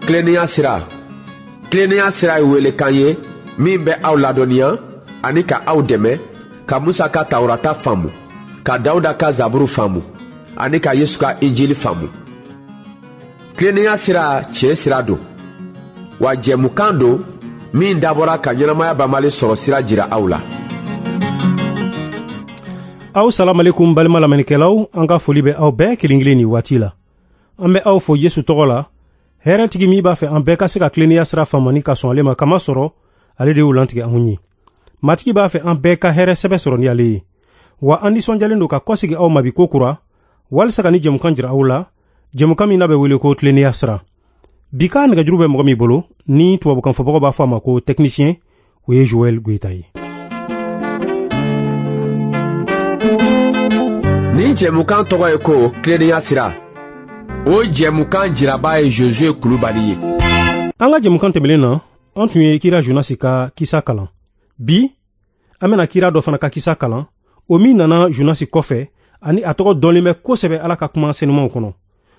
Tilennenya sira, tilennenya sira ye welekan ye min bɛ aw ladɔnniya ani ka aw dɛmɛ ka Musa ka Tawurata faamu, ka Dawuda ka Zaburu faamu ani ka Yesu ka Injili faamu. Tilennenya sira tiɲɛ sira don, wa jɛmukan don min dabɔra ka ɲɛnamaya banbali sɔrɔ sira jira aw la. Aw salamalekum balima lamɛnnikɛlaw, an ka foli bɛ aw bɛɛ kelen kelen nin waati la. An bɛ aw fo Yesu tɔgɔ la, hɛrɛtigi min b'a fɛ an bɛɛ ka se ka tilennenya sira faamu ni ka sɔn ale ma, kama sɔrɔ ale de y'o lantigɛ anw ye. Matigi b'a fɛ an bɛɛ ka hɛrɛ sɛbɛ sɔrɔ ni ale ye. Wa an nisɔndiyalen don ka kɔsegi aw ma bi ko kura, walisa ka ni jɛmukan jira aw la, jɛmukan min n'a bɛ wele ko tilennenya sira. Bi ka nɛgɛjuru bɛ mɔgɔ min bolo, ni tubabukan fɔbagaw b'a fɔ a ma ko technicien, o ye Joël Goyita ye. Nin jɛmukan tɔgɔ ye ko tilennenya sira. O jɛmukan jiraba ye Josué Kulubali ye. An ka jɛmukan tɛmɛlen na, an tun ye kira Jonasi ka kisa kalan. Bi, an bɛna kira dɔ fana ka kisa kalan, o min nana Jonasi kɔfɛ, ani a tɔgɔ dɔnlen bɛ kosɛbɛ Ala ka kuma senumanw kɔnɔ.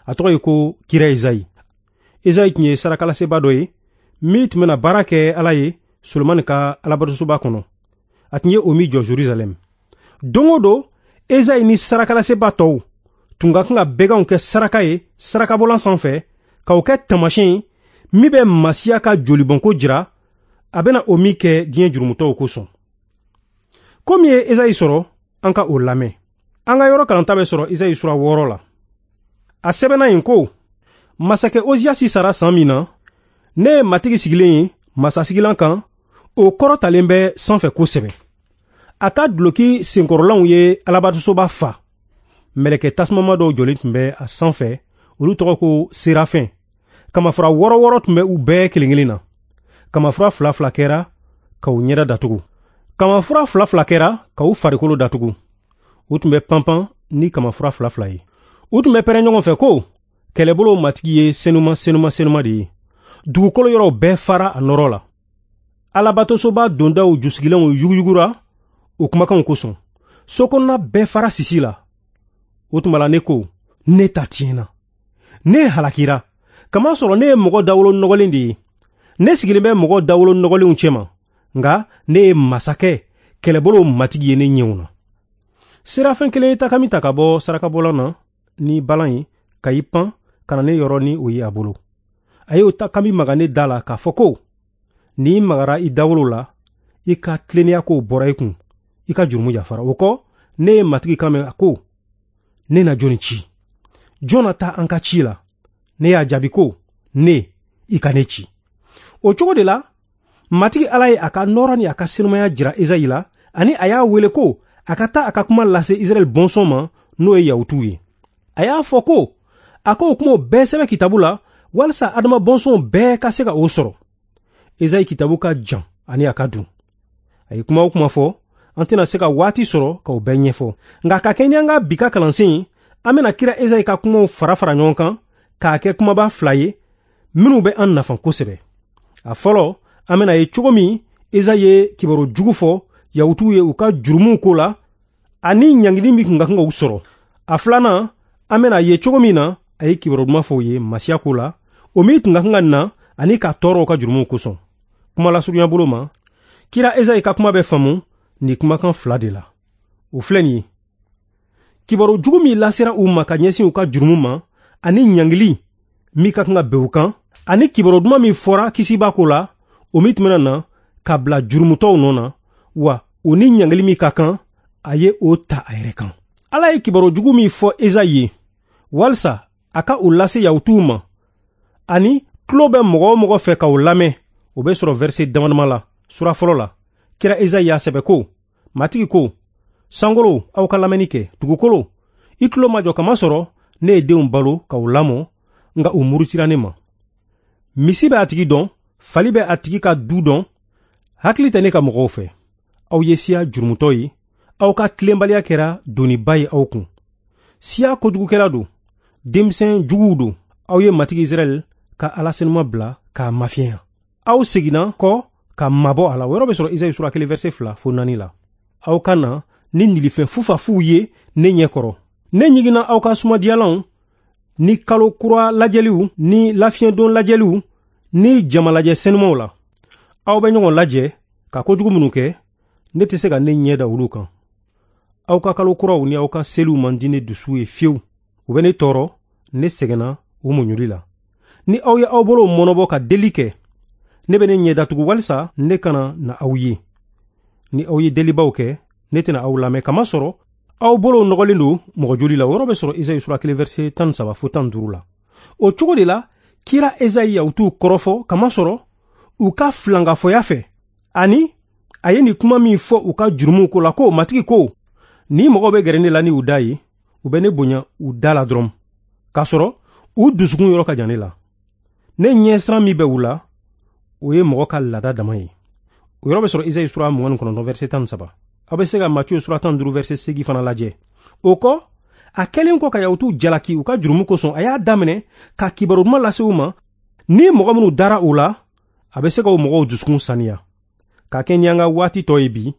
A tɔgɔ ye ko kira Ezayi. Ezayi tun ye sarakalaseba dɔ ye, min tun bɛna baara kɛ Ala ye Solomani ka alabatosoba kɔnɔ. A tun ye o min jɔ Jerusalɛm. Don o don, Ezayi ni sarakalaseba tɔw tun ka kan ka bɛganw kɛ saraka ye sarakabɔlan sanfɛ, k'o kɛ taamasiyɛn ye min bɛ Masiya ka jolibɔnko jira, a bɛna o min kɛ diɲɛ jurumutɔw kosɔn. Ko min ye Ezayi sɔrɔ, an ka o lamɛn. An ka yɔrɔ kalanta bɛ sɔrɔ Ezayi sura 6 la. A sɛbɛnna yen ko, masakɛ Oziyasi sara san min na, ne ye Matigi sigilen ye masasigilan kan, o kɔrɔtalen bɛ sanfɛ kosɛbɛ. A ka duloki senkɔrɔlanw ye alabatosoba fa. Mɛlɛkɛ tasumama dɔw jɔlen tun bɛ a sanfɛ, olu tɔgɔ ko serafɛn. Kamafura 6 tun bɛ u bɛɛ kelen kelen na. Kamafura 2 kɛra k'u ɲɛda datugu. Kamafura 2 kɛra k'u farikolo datugu. U tun bɛ panpan ni kamafura 2 ye. U tun bɛ pɛrɛn ɲɔgɔn fɛ ko, kɛlɛbolo Matigi ye senuma senuma senuma de ye. Dugukolo yɔrɔw bɛɛ fara a nɔrɔ la. Alabatosoba dondaw jusigilanw yuguyugura o kumakanw kosɔn. So kɔnɔna bɛɛ fara sisi la. O tuma la ne ko, ne ta tiɲɛna. Ne halakira, kamasɔrɔ ne ye mɔgɔ dawolo nɔgɔlen de ye. Ne sigilen bɛ mɔgɔ dawolo nɔgɔlenw cɛma, nka ne ye masakɛ kɛlɛbolo Matigi ye ne ɲɛw na. Serafɛn kelen ye takami ta ka bɔ sarakabɔlan na ni balan ye, ka i pan ka na ne yɔrɔ ni o ye a bolo. A y'o takami maga ne da la k'a fɔ ko, n'i magara i dawolo la, i ka tilennenya kow bɔra i kun, i ka jurumu yafara. O kɔ, ne ye Matigi kan mɛn a ko, ne na jɔnni ci? Jɔn na taa an ka ci la? Ne y'a jaabi ko, ne, i ka ne ci. O cogo de la, Matigi Ala ye a ka nɔɔrɔ ni a ka senumaya jira Ezayi la, ani a y'a wele ko a ka taa a ka kuma lase Israɛl bɔnsɔn ma, n'o ye Yahutuw ye. A y'a fɔ ko, a k'o kumaw bɛɛ sɛbɛn kitabu la, walisa Adama bɔnsɔnw bɛɛ ka se ka o sɔrɔ. Ezayi kitabu ka jan ani a ka dun. A ye kuma o kuma fɔ, an tɛna se ka waati sɔrɔ k'o bɛɛ ɲɛfɔ. Nka ka kɛ ni an ka bi ka kalansen ye, an bɛna kira Ezayi ka kumaw fara fara ɲɔgɔn kan k'a kɛ kumaba 2 ye minnu bɛ an nafa kosɛbɛ. A fɔlɔ, an bɛna ye cogo min Ezayi ye kibaru jugu fɔ Yahutuw ye u ka jurumuw ko la ani ɲangili min tun ka kan k'u sɔrɔ. A filanan, an bɛna ye cogo min na a ye kibaru duman fɔ u ye Masiya ko la, o min tun ka kan ka na ani ka tɔɔrɔ u ka jurumuw kosɔn. Kuma lasurunya bolo ma, kira Ezayi ka kuma bɛ faamu nin kumakan 2 de la. O filɛ nin ye. Kibaru jugu min lasera u ma ka ɲɛsin u ka jurumu ma ani ɲangili min ka kan ka bɛn u kan, ani kibaru duman min fɔra kisiba ko la, o min tun bɛna na ka bila jurumutɔw nɔ na, wa o ni ɲangili min ka kan, a ye o ta a yɛrɛ kan. Ala ye kibaru jugu min fɔ Ezayi ye, walisa a ka o lase Yahutuw ma, ani tulo bɛ mɔgɔ o mɔgɔ fɛ k'o lamɛn, o bɛ sɔrɔ verset damadama la, sura fɔlɔ la. Kira Ezayi y'a sɛbɛ ko, Matigi ko, sankolo, aw ka lamɛnni kɛ, dugukolo, i tulo ma jɔ kamasɔrɔ ne ye denw balo k'u lamɔ, nka u murutira ne ma. Misi bɛ a tigi dɔn, fali bɛ a tigi ka du dɔn, hakili tɛ ne ka mɔgɔw fɛ. Aw ye siya jurumutɔ ye, aw ka tilenbaliya kɛra doniba ye aw kun. Siya kojugukɛla don, denmisɛn juguw don. Aw ye Matigi Israɛl ka Ala senuma bila k'a mafiɲɛya. Aw seginna kɔ ka mabɔ a la. O yɔrɔ bɛ sɔrɔ Ezayi sura 1 verset 2 fo 4 la. Aw ka na ni nilifɛn fufafuw ye ne ɲɛ kɔrɔ. Ne ɲiginna aw ka sumadiyalanw ni kalo kura lajɛliw ni lafiɲɛdon lajɛliw ni jamalajɛ senumaw la aw bɛ ɲɔgɔn lajɛ ka kojugu minnu kɛ, ne tɛ se ka ne ɲɛ da olu kan. Aw ka kalo kuraw ni aw ka seliw man di ne dusu ye fiyewu. U bɛ ne tɔɔrɔ, ne sɛgɛnna u muɲuli la. Ni aw ye aw bolow mɔnɔbɔ ka deli kɛ, ne bɛ ne ɲɛ datugu walisa ne kana na aw ye. Ni aw ye delibaw kɛ, ne tɛna aw lamɛn, kamasɔrɔ aw bolow nɔgɔlen don mɔgɔ joli la. O yɔrɔ bɛ sɔrɔ Esayi sura 1 verset 13 fo 15 la. O cogo de la, kira Esayi Yahutuw kɔrɔfɔ, kamasɔrɔ u ka filankafoya fɛ, ani a ye nin kuma min fɔ u ka jurumuw ko la ko: Matigi ko, ni mɔgɔw bɛ gɛrɛ ne la ni u da ye, u bɛ ne bonya u da la dɔrɔn, k'a sɔrɔ u dusukun yɔrɔ ka jan ne la. Ne ɲɛsiran min bɛ u la, o ye mɔgɔ ka laada dama ye. O yɔrɔ bɛ sɔrɔ Esayi sura 29 verset 13. Aw bɛ se ka Matiyu sura 15 verset 8 fana lajɛ. O kɔ, a kɛlen kɔ ka Yahutuw jalaki u ka jurumu kosɔn, a y'a daminɛ ka kibaru duman lase u ma. Ni mɔgɔ minnu dara u la, a bɛ se ka o mɔgɔw dusukun saniya. Ka kɛ ni an ka waati tɔ ye bi,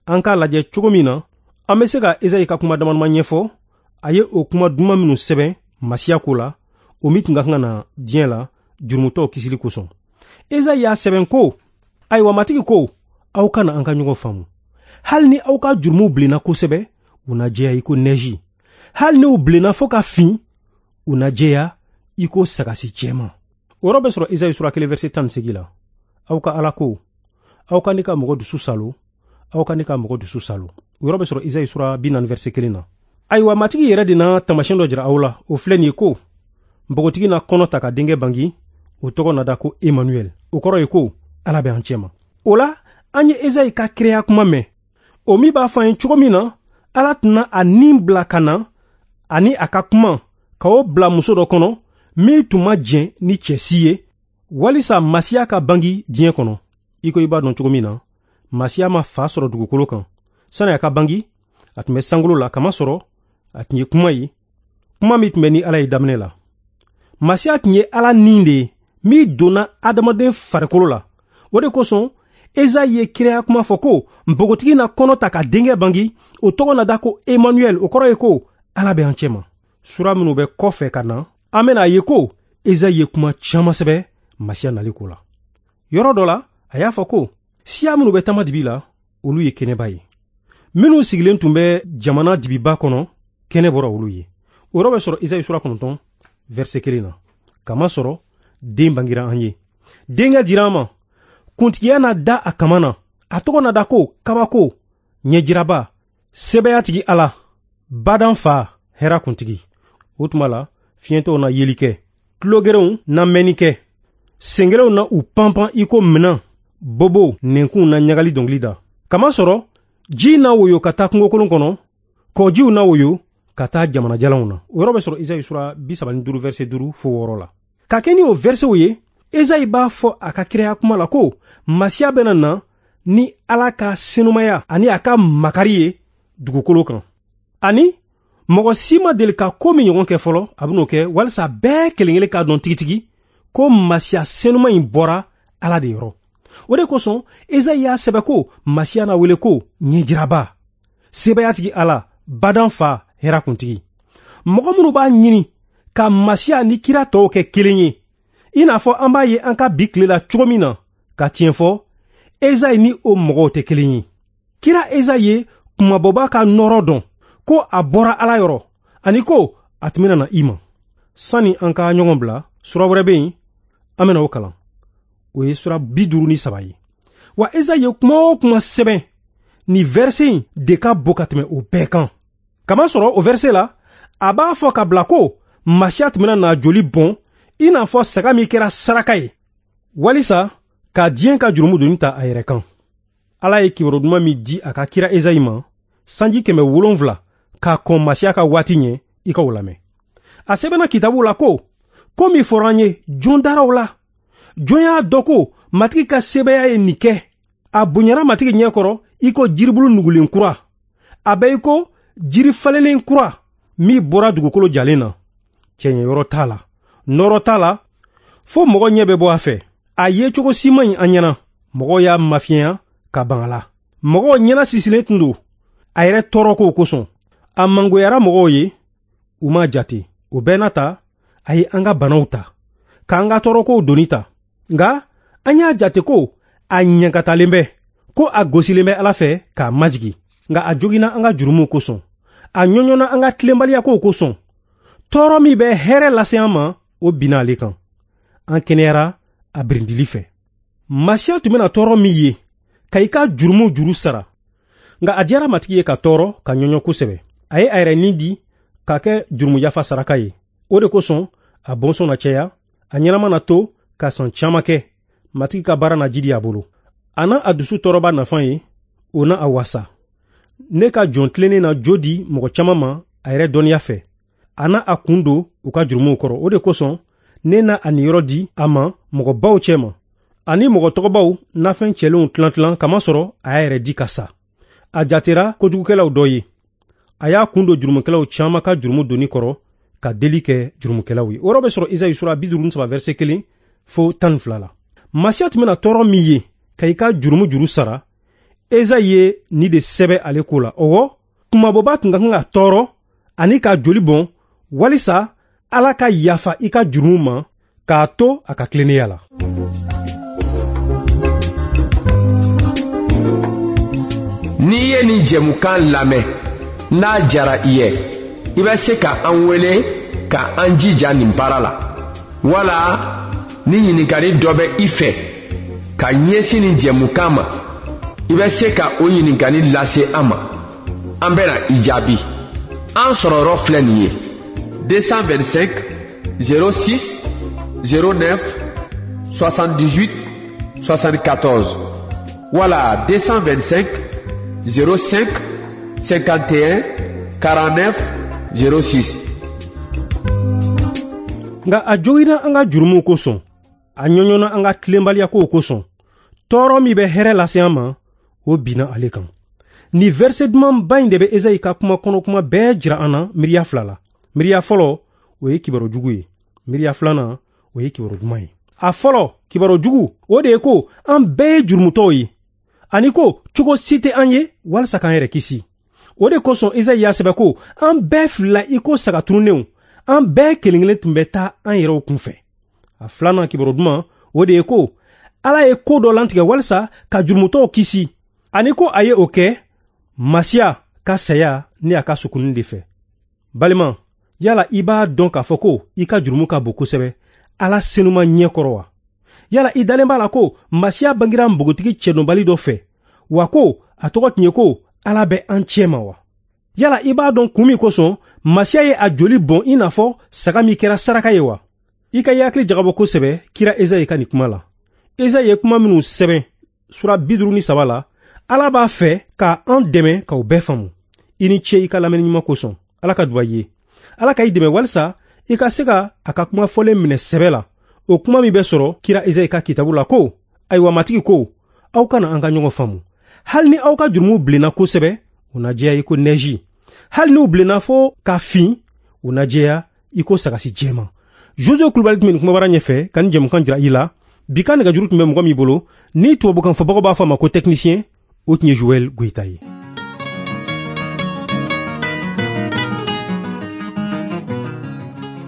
an k'a lajɛ cogo min na an bɛ se ka Esayi ka kuma damadama ɲɛfɔ. A ye o kuma duman minnu sɛbɛn Masiya ko la, o min tun ka kan ka na diɲɛ la jurumutɔw kisili kosɔn. Esayi y'a sɛbɛn ko: ayiwa Matigi ko, aw kana an ka ɲɔgɔn faamu. Hali ni aw ka jurumuw bilenna kosɛbɛ, u na jɛya i ko nɛji. Hali ni u bilenna fo ka fin, u na jɛya i ko sagasi jɛman. O yɔrɔ bɛ sɔrɔ Esayi sura 1 verset 18 la. Aw ka Ala ko, aw ka ne ka mɔgɔ dusu salo, aw ka ne ka mɔgɔ dusu salo. O yɔrɔ bɛ sɔrɔ Esayi sura 40 verset 1 na. Ayiwa Matigi yɛrɛ de na taamasiyɛn dɔ jira aw la, o filɛ nin ye ko: npogotigi na kɔnɔ ta ka denkɛ bangi, o tɔgɔ na da ko Emmanuel. O kɔrɔ ye ko Ala bɛ an cɛma. O la, an ye Esayi ka kiraya kuma mɛn, o min b'a fɔ an ye cogo min na Ala tɛna a nin bila ka na ani a ka kuma ka o bila muso dɔ kɔnɔ min tun ma jɛn ni cɛ si ye, walisa Masiya ka bangi diɲɛ kɔnɔ. I ko i b'a dɔn cogo min na, Masiya ma fa sɔrɔ dugukolo kan. Sani a ka bangi, a tun bɛ sankolo la, kamasɔrɔ a tun ye kuma ye, kuma min tun bɛ ni Ala ye daminɛ la. Masiya tun ye Ala nin de ye min donna adamaden farikolo la. O de kosɔn Esayi ye kiraya kuma fɔ ko npogotigi na kɔnɔ ta ka denkɛ bangi, o tɔgɔ na da ko Emmanuel. O kɔrɔ ye ko Ala bɛ an cɛma. Sura minnu bɛ kɔfɛ ka na, an bɛna a ye ko Esayi ye kuma caman sɛbɛn Masiya nali ko la. Yɔrɔ dɔ la, a y'a fɔ ko siya minnu bɛ taama dibi la, olu ye kɛnɛba ye. Minnu sigilen tun bɛ jamana dibiba kɔnɔ, kɛnɛ bɔra olu ye. O yɔrɔ bɛ sɔrɔ Esayi sura 9 verset 1 na. Kamasɔrɔ den bangira an ye, denkɛ dira an ma, kuntigiya na da a kama na, a tɔgɔ na da ko kabako, ɲɛjiraba, sɛbɛyatigi Ala, badan fa, hɛrɛ kuntigi. O tuma la, fiɲɛtɔw na yeli kɛ, tulogerenw na mɛnni kɛ, sengelenw na u panpan i ko minan, bobow nɛnkunw na ɲagali dɔnkili da. Kamasɔrɔ ji na woyo ka taa kungokolon kɔnɔ, kɔjiw na woyo ka taa jamana jalanw na. O yɔrɔ bɛ sɔrɔ Esayi sura 35 verset 5 fo 6 la. Ka kɛ ni o versetw ye, Esayi b'a fɔ a ka kiraya kuma la ko Masiya bɛna na ni Ala ka senumaya ani a ka makari ye dugukolo kan. Ani mɔgɔ si ma deli ka ko min ɲɔgɔn kɛ fɔlɔ, a bɛn'o kɛ walisa bɛɛ kelen-kelen k'a dɔn tigitigi ko Masiya senuma in bɔra Ala de yɔrɔ. O de kosɔn Esayi y'a sɛbɛn ko Masiya na wele ko ɲɛjiraba, sebayatigi Ala, badan fa, hɛrɛ kuntigi. Mɔgɔ minnu b'a ɲini ka Masiya ni kira tɔw kɛ kelen ye, i n'a fɔ an b'a ye an ka bi tile la cogo min na, ka tiɲɛ fɔ, Esayi ni o mɔgɔw tɛ kelen ye. Kira Esayi ye kumabɔba ka nɔɔrɔ dɔn ko a bɔra Ala yɔrɔ, ani ko a tun bɛna na i ma. Sani an ka ɲɔgɔn bila, sura wɛrɛ bɛ yen, an bɛna o kalan. O ye sura 53 ye. Wa Esayi ye kuma o kuma sɛbɛn, nin verset in de ka bon ka tɛmɛ o bɛɛ kan. Kamasɔrɔ o verset la, a b'a fɔ ka bila ko Masiya tun bɛna na joli bɔn i n'a fɔ saga min kɛra saraka ye, walisa ka diɲɛ ka jurumu doni ta a yɛrɛ kan. Ala ye kibaru duman min di a ka kira Esayi ma sanji 700 k'a kɔn Masiya ka waati ɲɛ, i ka o lamɛn. A sɛbɛnna kitabu la ko ko min fɔra an ye, jɔn dara o la? Jɔn y'a dɔn ko Matigi ka sebaaya ye nin kɛ? A bonyara Matigi ɲɛ kɔrɔ i ko jiribulu nugulen kura. A bɛ i ko jiri falennen kura min bɔra dugukolo jalen na. Cɛɲɛ yɔrɔ t'a la, nɔrɔ t'a la, fo mɔgɔ ɲɛ bɛ bɔ a fɛ. A ye cogo si man ɲi an ɲɛna. Mɔgɔw y'a mafiɲɛya ka ban a la. Mɔgɔw ɲɛna sisilen tun don a yɛrɛ tɔɔrɔ kow kosɔn. A mangoyara mɔgɔw ye, u m'a jate. O bɛɛ n'a ta, a ye an ka banaw ta, k'an ka tɔɔrɔkow doni ta. Nka an y'a jate ko a ɲankatalen bɛ, ko a gosilen bɛ Ala fɛ k'a majigi. Nka a joginna an ka jurumuw kosɔn, a ɲɔɲɔna an ka tilenbaliyakow kosɔn. Tɔɔrɔ min bɛ hɛrɛ lase an ma, o binna ale kan. An kɛnɛyara a birindili fɛ. Masiya tun bɛna tɔɔrɔ min ye ka i ka jurumuw juru sara. Nka a diyara Matigi ye ka tɔɔrɔ ka ɲɔɲɔ kosɛbɛ. A ye a yɛrɛ ni di k'a kɛ jurumu yafa saraka ye. O de kosɔn a bɔnsɔn na caya, a ɲɛnama na to ka san caman kɛ. Matigi ka baara na jidi a bolo. A na a dusu tɔɔrɔba nafa ye, o na a wasa. Ne ka jɔn tilennen na jo di mɔgɔ caman ma a yɛrɛ dɔnniya fɛ. A na a kun don u ka jurumuw kɔrɔ. O de kosɔn ne na a niyɔrɔ di a ma mɔgɔbaw cɛma, ani mɔgɔ tɔgɔbaw nafɛn cɛlenw tilan-tilan, kamasɔrɔ a y'a yɛrɛ di ka sa. A jatera kojugukɛlaw dɔ ye. A y'a kun don jurumukɛlaw caman ka jurumu doni kɔrɔ ka deli kɛ jurumukɛlaw ye. O yɔrɔ bɛ sɔrɔ Izayi sura 53 verset 1 fo 12 la. Masiya tun bɛna tɔɔrɔ min ye ka i ka jurumu juru sara, Ezayi ye nin de sɛbɛ ale ko la. Ɔwɔ, kunmabɔba tun ka kan ka tɔɔrɔ ani ka joli bɔn walisa Ala ka yafa i ka jurumu ma k'a to a ka tilennenya la. N'i ye nin jɛmukan lamɛn, n'a diyara i ye, i bɛ se ka an wele ka an jija nin baara la. Wala ni ɲininkali dɔ bɛ i fɛ ka ɲɛsin nin jɛmukan ma, i bɛ se ka o ɲininkali lase an ma. An bɛna i jaabi. An sɔrɔyɔrɔ filɛ nin ye: 225 06 09 78 74 wala 225 05 51 49 06. Nka a joginna an ka jurumuw kosɔn, a ɲɔɲɔna an ka tilenbaliyakow kosɔn. Tɔɔrɔ min bɛ hɛrɛ lase an ma, o binna ale kan. Nin verset dumanba in de bɛ Ezayi ka kuma kɔnɔkuma bɛɛ jira an na miiriya fila la. Miiriya fɔlɔ, o ye kibaru jugu ye. Miiriya filanan, o ye kibaru duman ye. A fɔlɔ, kibaru jugu, o de ye ko an bɛɛ ye jurumutɔw ye, ani ko cogo si tɛ an ye walisa k'an yɛrɛ kisi. O de kosɔn Ezayi y'a sɛbɛn ko an bɛɛ filila i ko saga tununnenw, an bɛɛ kelen kelen tun bɛ taa an yɛrɛw kunfɛ. A filanan kibaru duman, o de ye ko Ala ye ko dɔ lantigɛ walisa ka jurumutɔw kisi, ani ko a ye o kɛ Masiya ka saya ni a ka sukunni de fɛ. Balima, yala i b'a dɔn k'a fɔ ko i ka jurumu ka bon kosɛbɛ Ala senuma ɲɛ kɔrɔ wa? Yala i dalen b'a la ko Masiya bangira npogotigi cɛdɔnbali dɔ fɛ, wa ko a tɔgɔ tun ye ko Ala bɛ an cɛ ma wa? Yala i b'a dɔn kun min kosɔn Masiya ye a joli bɔn i n'a fɔ saga min kɛra saraka ye wa? I ka i hakili jagabɔ kosɛbɛ kira Ezayi ka nin kuma la. Ezayi ye kuma minnu sɛbɛn sura 53 la, Ala b'a fɛ ka an dɛmɛ k'aw bɛɛ faamu. I ni ce i ka lamɛnni ɲuman kosɔn. Ala ka duba i ye. Ala ka i dɛmɛ walisa i ka se ka a ka kuma fɔlen minɛ sɛbɛ la. O kuma min bɛ sɔrɔ kira Ezayi ka kitabu la ko, ayiwa Matigi ko, aw kana an ka ɲɔgɔn faamu. Hali ni aw ka jurumuw bilenna kosɛbɛ, u na jɛya i ko nɛji. Hali n'u bilenna fo ka fin, u na jɛya i ko sagasi jɛman. Jose Kulubali tun bɛ nin kumabara ɲɛfɛ ka nin jɛmukan jira i la. Bi ka nɛgɛjuru tun bɛ mɔgɔ min bolo, ni tubabukan fɔbagaw b'a fɔ a ma ko technicien, o tun ye Joël Goyita ye.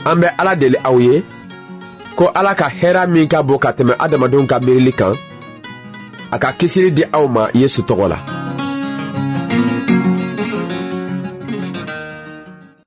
An bɛ Ala deli aw ye ko Ala ka hɛrɛ min ka bon ka tɛmɛ adamadenw ka miirili kan, a ka kisili di aw ma Yesu tɔgɔ la.